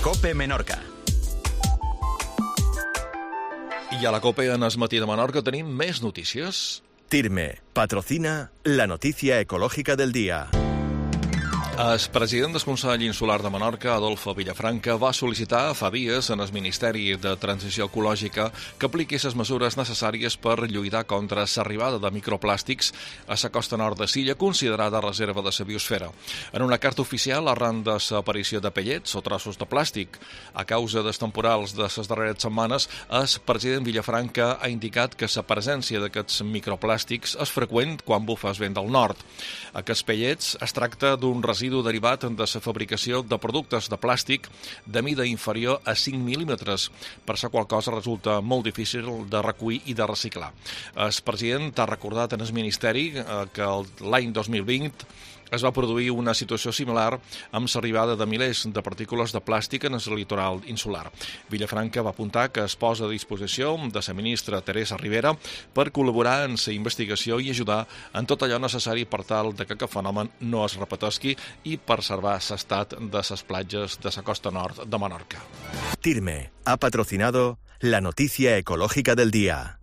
COPE Menorca. I a la COPE en el matí de Menorca tenim més notícies. TIRME patrocina la noticia ecológica del día. El president del Consell Insular de Menorca, Adolfo Villafranca, va sol·licitar fa dies en el Ministeri de Transició Ecològica que apliqui les mesures necessàries per lluitar contra l'arribada de microplàstics a la costa nord de l'illa, considerada reserva de la biosfera. En una carta oficial, arran de l'aparició de pellets o trossos de plàstic a causa dels temporals de les darreres setmanes, el president Villafranca ha indicat que la presència d'aquests microplàstics és freqüent quan bufa el vent del nord. Aquests pellets es tracta d'un residu derivat de la fabricació de productes de plàstic de mida inferior a 5 mil·límetres, per la qual cosa resulta molt difícil de recollir i de reciclar. El president ha recordat en el Ministeri que l'any 2020 es va produir una situació similar amb l'arribada de milers de partícules de plàstic en el litoral insular. Villafranca va apuntar que es posa a disposició de la ministra Teresa Ribera per col·laborar en la investigació i ajudar en tot allò necessari per tal que aquest fenomen no es repeteixi i preservar l'estat de les platges de la costa nord de Menorca. TIRME ha patrocinado la noticia ecológica del día.